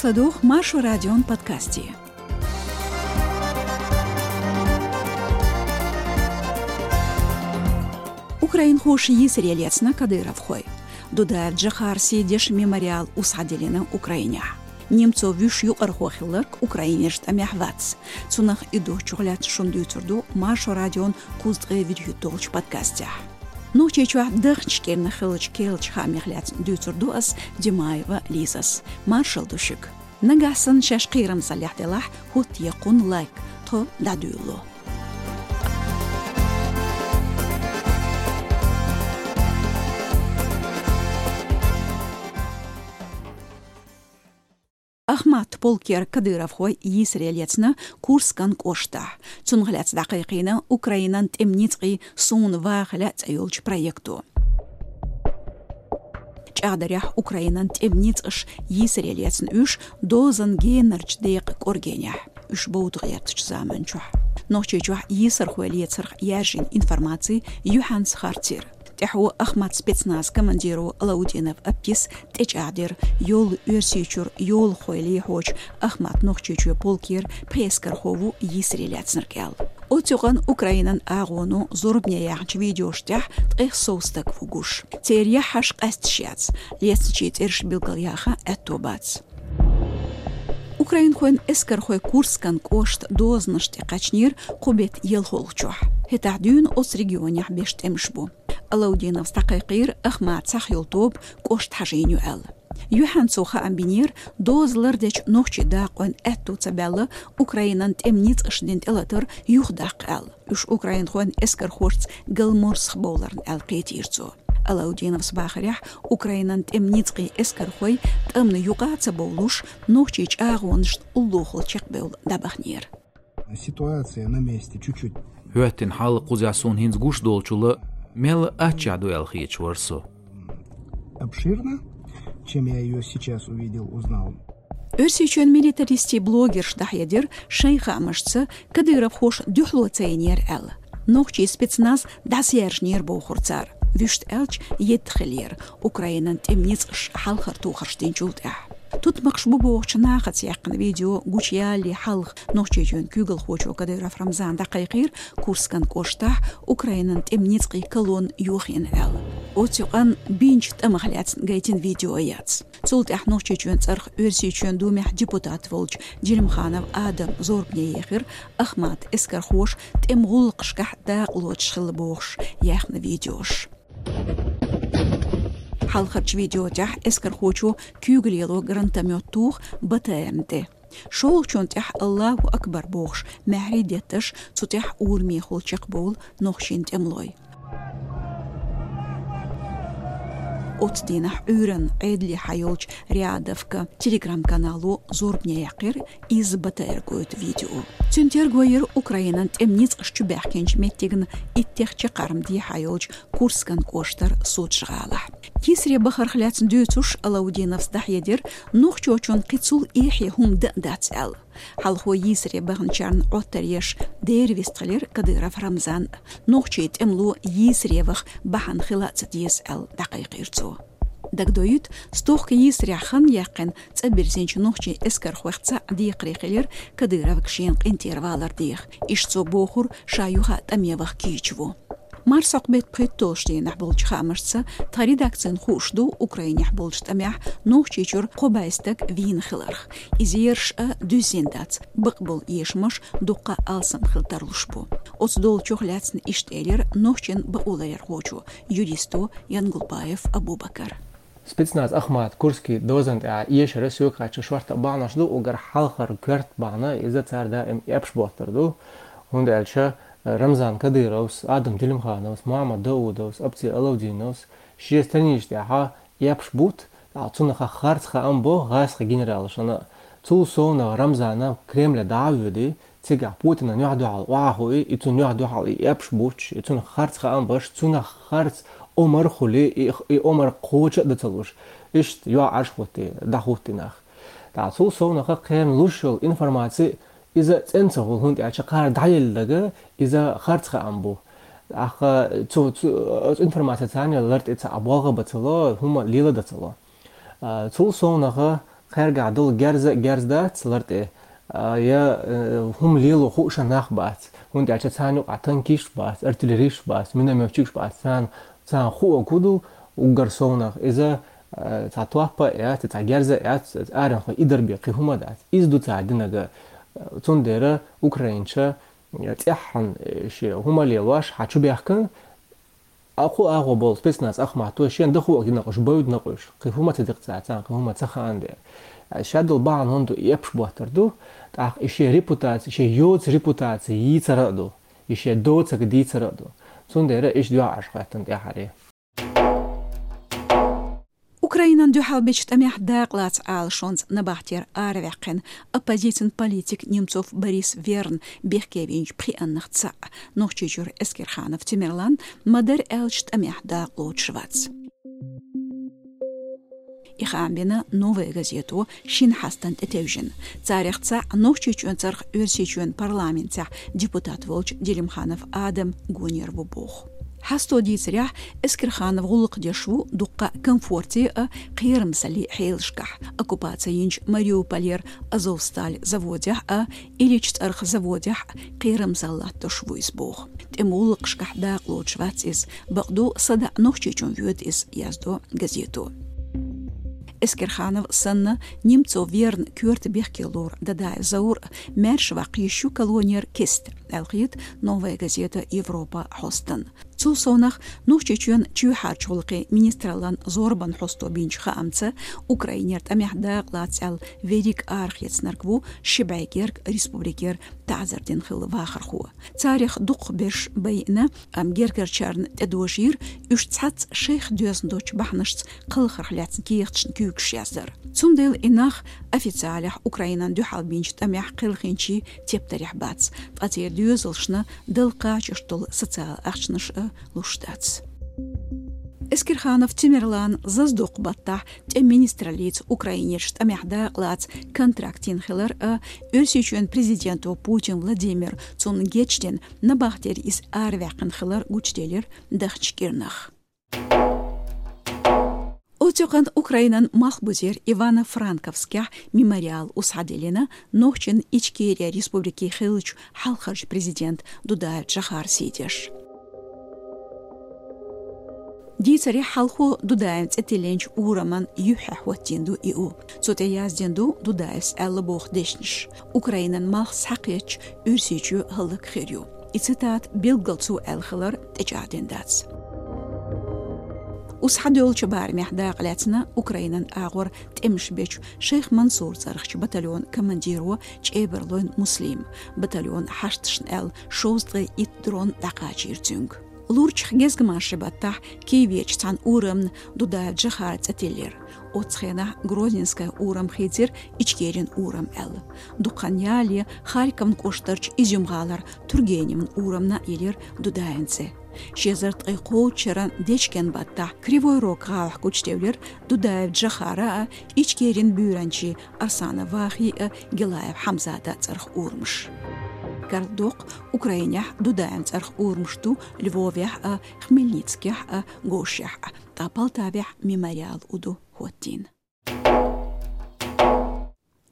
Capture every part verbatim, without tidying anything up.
ЛадугӀ Маршо радион подкасте. Украинхоша йийсаре лецна кадыровхой. Дудаев Джохарса дешан мемориал усхьадиллина Украинехь. Немцов вуьш юкъархо хилларг Украинерчу тӀамехь вац. Цунах и духьа чухулаьцна шуна дуьйцур ду Маршо радион кхузткъе вуьрхӀитталгӀачу подкастехь. Нохчийчохь дахначу кӀирнах хиллачу керлачу хаамех лаьцна дуьйцур ду ас, Димаева Лизас. Маршалла ду шуьга. Нагахь санна шаьш кхерамзаллехь делахь, хӀоттае кхунна лайк, тхо дӀадуьйлало. Ахмат полкера кадыровхой йийсаре лецна Курскан кӀоштахь. Цунах лаьцна дӀакхайкхийна Украинан тӀеман ницкъийн «Суна ваха лаьа» цӀе йолчу проекто. ЧӀагӀдарехь, Украинан тӀеман ницкъаша йийсаре лецна уьш дозанан генарчу декъан кӀоргенехь, уьш бовда гӀертачу заманчохь. Нохчийчохь йийсархой лецарх яьржина информаци юьхьанца харцйира. ТӀаьхьо Ахмат спецназан командиро Алаудинов Аптис тӀечӀагӀдира, йолу Оьрсийчуьра йолахой лехьочу Ахмат Нохчийчоь полкера пхи эскархо ву йийсаре лаьцнарг аьлла. Оцу юкъана Украинан агӀоно зорбане яьхначу видеош тӀехь ткъех сов стаг ву гуш. Церан яххьаш къаьсташ яц, лецначийн цӀераш билгалъяха аьтто бац. Украинхойн эскархой Курскан кӀоштан дозанаш тӀе кхаьчнера кху беттан ялхолгӀачохь. ХӀетахь дуьйна оцу регионехь беш тӀемаш бу. Алаудиновс дӀакхайкхийра, Ахмат цхьаъ йолу тоба кӀошта хьажийна ю аьлла. Юьхьанца цо хаам бинера, доза лардечу нохчийн дакъойн аьтто ца баьлла Украинан тӀеман ницкъаша дина тӀелатар юхадаккха аьлла. Уьш украинхойн эскархошца галморсах бовларна аьлла кхийтира цо. Алаудиновс бахарехь, Украинан тӀеман ницкъийн эскархой тӀамна юкъа а ца бовлуш, нохчийн чӀагӀонашна уллохула чекхбевлла дӀабахнера. Ситуация на месте чуть-чуть. ХӀоьттина хьал кхузахь суна хӀинца гуш долчул мел аччехь ду аьлла хеташ вара со. Обширно, чем я её сейчас увидел, узнал. Оьрсийчоьнан милитаристийн блогерша дӀахьедира шайн хаамашца, кадыровхоша дуьхьало ца йинера аьлла. Нохчийн спецназ дӀасаяьржинера бохура цара. Вуьшта аьлча, едда хиллера, Украинан тӀеман ницкъаша хьалхара тохарш динчул тӀаьхьа. Тутмакхаш бу бохучу нахаца яьккхина видео гучуялале хьалха Нохчийчоьнан куьйгалхочо Кадыров Рамзана дӀакхайкхийра Курскан кӀоштахь Украинан тӀеман ницкъийн колонна йохийна аьлла. Оцу юкъана бинчу тӀамах лаьцна гайтина видео яц. Цул тӀаьхьа Нохчийчоьнан цӀарах Оьрсийчоьнан Думехь депутат волчу Делимханов Адама зорбане ехира Ахмат эскархоша тӀеман гӀуллакхашкахь дакъа лоцуш хилла бохуш яьхна видеош. Хьалхарчу видео тӀехь эскархочо куьйгалло гранатомёт туху БТР-на тӀе. ШолгӀачунна тӀехь «Аллаху акбар» бохуш маьхьарий детташ, цу тӀехь урамехула чекхбовлу нохчийн тӀемалой. Оцу дийнахь Ӏуьйранна Ӏедале хьайолчу Рядовка телеграм-канало зорбане яьккхира изза БТР гойту видео. Цуьнан терго йира Украинан тӀеман ницкъаш чубаьхкинчу меттигна иттех чаккхарма дехьа йолчу Курскан кӀоштара Сочи гӀалахь. Йийсаре бахарх лаьцна дуьйцуш, Алаудиновс дӀахьедира, нохчочунна кхин цул эхье хӀума дан а дац аьлла. Хьалхо йийсаре баханчарна Ӏоттар еш дера вистхилира Кадыров Рамзан. Нохчийн тӀемало йийсаре ваха бахьана хила а ца деза аьлла, дӀакхайкхийра цо. Дагадоуьйту, стохка йийсарехь хан яьккхина цӀа бирзинчу нохчийн эскархойх цхьаъ декхаре хилира Кадыровга шена къинтӀера валар деха. Иштта цо бохура, ша юха а тӀаме ваха кийча ву. Марсхьокху беттан пхийтталгӀачу дийнахь болчу хаамашца, тхан редакцина хууш ду Украинехь болчу тӀамехь Нохчийчуьра кхо бӀе стаг вийна хиларх. Иза ерш а дуьззина дац, бакъболу эшамаш дуккха а алсам хила тарлуш бу. Оцу долчух лаьцна иштта элира нохчийн бакъоларъярхочо, юристо Янгулбаев Абубакара. Спецназ Ахмат Курский дозанна тӀехь эшар соьга хеташ шортта бахьанаш ду, уггар хьалхара коьрта бахьана иза цара даим эпаш боттар ду. ХӀунда аьлча Рамзан Кадыровс, Адам Делимхановс, Мухьаммад Даудовс, Апти Алаудиновс шен станицаш тӀехь эпаш бутт, цунах харц хаам бо гӀазкхийн генералашна. Цул совнах Рамзана Кремле дӀа а воьдий, цигахь Путинан юьхь-дуьхьал охьахуий, и цунна юьхь-дуьхьал и эпаш бутташ, и цунах харц хаам беш, цунах харц омра хуьлий, и, и омра кхочуш а дан ца луш, иштта юьхь Ӏаш хӀуттий, дӀахӀуттий нах. ТӀаккха цул совнаха кхеран луш йолу информаци иза цӀена ца хуьлу, хӀунда аьлча кхара дӀаелла дага иза харц хаам бу. ТӀаккха цу, цу, оцу информацица царна лар тӀе ца а болх бан ца ло, хӀума лела дан ца ло. А, цул совнаха кхаьргахь долу герз а герз дац лар тӀе, а, я, э, хӀума лело хууш нах бац. ХӀунда аьлча царна юкъахь танкисташ бац, артиллеристаш бац, миномётчикаш бац, царна, царна хуу а кудул уггар совнах. Иза, э, цхьа топпа а яц, цхьа герз а яц, аренхой идар бен кхин хӀума а дац. Иза ду цара динарг. Цундела украинча, э, цӀеххьана, э, шен хӀума лелош хьан чу бехкан, а кху агӀо болу спецназ ахматто шен дахуо гина къуш, бойд накъуш, кхин хӀума ца декъ цаьрца, кхин хӀума ца хаан де. Шадал бахьана хӀун ду, эпаш боттар ду, тӀаккха и шен репутаци, шен йоца репутаци йийцара а ду, и шен доцаг дийцара а ду. Цундела иш доьгӀаш хӀоьттина тӀаьхьаре. Украинан дуьхьал бечу тӀамехь дакъалаца Ӏалашонца набахтера араваьккхина оппозицин политик Немцов Борис Верн бехке винчу пхиъаннах цхьаъ, Нохчийчуьра Эскерханов Тимерлан, ма-дарра аьлча тӀамехь дакъалоцуш вац. И хаам бина «Новая газето» шина хьастан тӀетевжина. Царех цхьаъ Нохчийчоьнан цӀарах Оьрсийчоьнан парламентехь депутат волчу Делимханов Адам гонера ву боху. Хьасто дийцарехь, Эскерханов гӀуллакх деш ву дуккха а комфорте а, кхерамзаллин хьелашкахь, оккупаци йинчу Мариуполера Азовсталь заводехь а, Ильич цӀарах заводехь а кхерамзалла латтош ву иза боху. ТӀеман гӀуллакхашкахь дакъалоцуш вац иза, бакъду, садаӀа Нохчийчунна воьду иза, яздо газето. Эскерханов санна, Немцов Верн коьрта бехке лору Дадаев Заур а маьрша ваккха йиш ю колонера кеста, аьлла хета «Новая газета Европа» хьостана. Цул совнах, Нохчийчоьнан чоьхьарчу гӀуллакхийн министраллан зорбанан хьосто бинчу хаамца, Украинера тӀамехь дакъалаца аьлла верриг арахецнарг ву ши бӀе герга республикера таӀзар дина хилла вахархо. Царех дукхахберш байина, амма гергарчарна тӀедожийра уьш цхьацца шайх доьзна долчу бахьанашца кхалхарх лаьцна кехаташна куьйгаш яздар. Цундела и нах официалехь Украинан дуьхьал бинчу тӀамехь кхелхинчийн тептарехь бац, ткъа церан доьзалшна дала кхачош долу социалан ахчанаш а луш дац. Эскерханов Тимерлан зазадоккху баттахь тӀеман министраллица Украинерчу тӀамехь дакъалаца контракт йина хилар а, Оьрсийчоьнан президенто Путин Владимира цунна гечдина, набахтера иза араваьккхина хилар гучуделира даханчу кӀирнах. Оццу юкъанна Украинан малхбузера Ивано-Франковскехь мемориал усхьадиллина нохчийн Ичкери республикин хиллачу хьалхарчу президента Дудаев Джохара сий деш. Дийцарехь, хьалхо Дудаевн цӀе тиллинчу ураман юьххьехь хӀоттийна ду и у. Цу тӀе яздина ду Дудаевс аьлла боху дешнаш. Украинан малх схьакхетча, Оьрсийчоь хӀаллак хир ю. И цитата билггал цо аьлла хилар тӀечӀагӀдина дац. Усхьадоьллучу барамехь дакъалаьцна Украинан агӀор тӀемаш бечу Шайх Мансур цӀарахчу батальонан командиро ЧӀебарлойн Муслима. Батальонан хьашташна аьлла шовзткъе итт дрон дӀакхачийра цуьнга. Лурчах гезгмашин баттахь Киеверчу цхьана урамна Дудаев Джохара цӀе тиллира. Оццу хенахь Грозненская урам хийцира Ичкерин урам аьлла. Дукха хан ялале Харьковн кӀоштарчу Изюм-гӀалара Тургеневн урамна а йиллира Дудаевн цӀе. Ши эзар ткъе кхоалгӀачу шеран дечкен баттахь Кривой Рог гӀалахь гучудевлира Дудаев Джохара а, Ичкерин буьйранчийн Арсанов Вахин а, Гилаев Хьамзатан а цӀарах урамаш. Карладоккху, Украинехь Дудаевн цӀарах урамаш ду Львовехь а, Хмельницкехь а, Говшехь а, ткъа Полтавехь мемориал у ду хӀоттийна.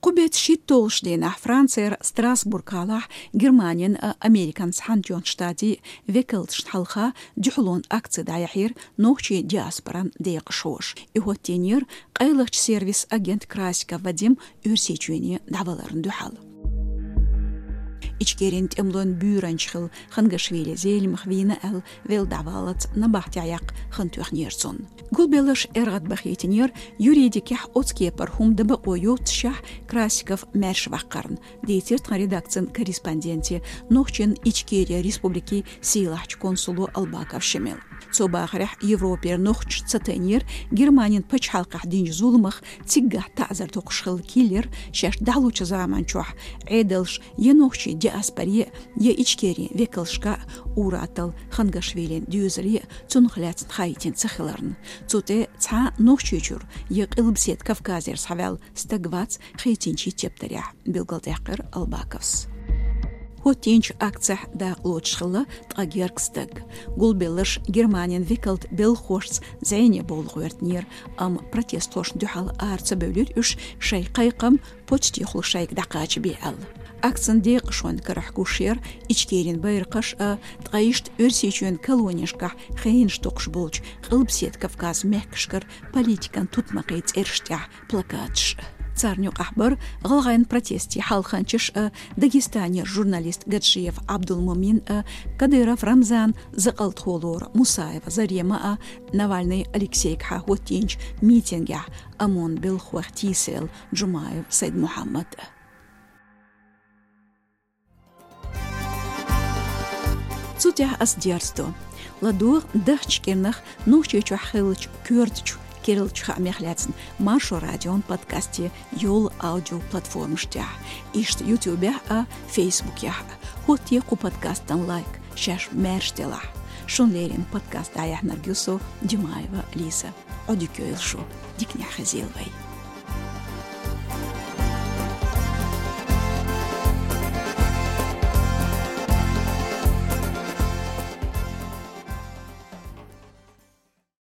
Кху беттан шийтталгӀачу дийнахь Францера Страсбург-гӀалахь Германин а, Американ Цхьаьнатоьхначу Штатийн векалташна хьалха дуьхьалонан акци дӀаяьхьира нохчийн диаспоран декъашхоша. И хӀоттийнера къайлахчу сервисан агент Красиков Вадим Оьрсийчоьне дӀаваларна дуьхьал. Ичкерин тӀемалойн буьйранча хилла Хангашвили Зелимха вийна аьлла, велла дӀаваллалц набахтехь яккха хан тоьхнера цунна. Гулбелларш эргӀадбахийтинера юридикехь оцу кепара хӀума дан бакъо йоццушехь Красиков маьрша ваккхарна, дийцира тхан редакцин корреспонденте, нохчийн Ичкери республикин сийлахьчу консуло Албаков Шемала. Цо бахарехь, Европера нохчаша ца тайнера Германин пачхьалкхехь динчу зуламах циггахь таӀзар доккхуш хилла киллера шаьш дӀахьлучу заманчохь Ӏедалша я нохчийн диаспоре, я Ичкерин векалшка а, ур-атталла Хангашвилин доьзале а цунах лаьцна хаийтина ца хиларна. Цу тӀе цхьа а Нохчийчуьра я Къилбаседа Кавказера схьаваьлла стаг вац хийцинчийн тептарехь, билгалдаьккхира Албаковс. ХӀоттийначу акцехь дакъалоцуш хилла ткъа гергга стаг. Гулбелларш Германин векалт белхахошца зӀене бовла гӀоьртинера, амма протестхошна дуьхьал ара ца бевлира уьш, шайн кхайкхам почтехула шайга дӀакхачабе аьлла. Акцин декъашонан карахь гуш яра Ичкерин байракхаш а, ткъа иштта Оьрсийчоьнан колонешкахь хенаш токхуш болчу Къилбаседа Кавказан мехкашкара политикан тутмакхийн цӀераш тӀехь плакаташ а. Царна юкъахь бара гӀалгӀайн протестийн хьалханчаш а, Дагестанера журналист Гаджиев Абдулмумин а, Кадыров Рамзан, закъалтхо лору Мусаева Зарема а, Навальный Алексейгахьа хӀоттийначу митингехь ОМОН белхахойх тийсарелла Джумаев Сайд-Мухьаммад а. Цу тӀехь ас дерзадо. ЛадогӀа дахча кӀирнах Нохчийчохь хиллачу коьртачу керлачу хаамех лаьцна Маршо радион подкасте йолу аудиоплатформаш тӀехь, иштта Ютубехь а, Фейсбукехь а. ХӀоттае кху подкастан лайк, шаьш маьрша делахь. Шун леррина подкаст дӀаяьхьнарг ю со, Димаева Лиза. Ӏодика йойла шу, диканехь хезийла вай.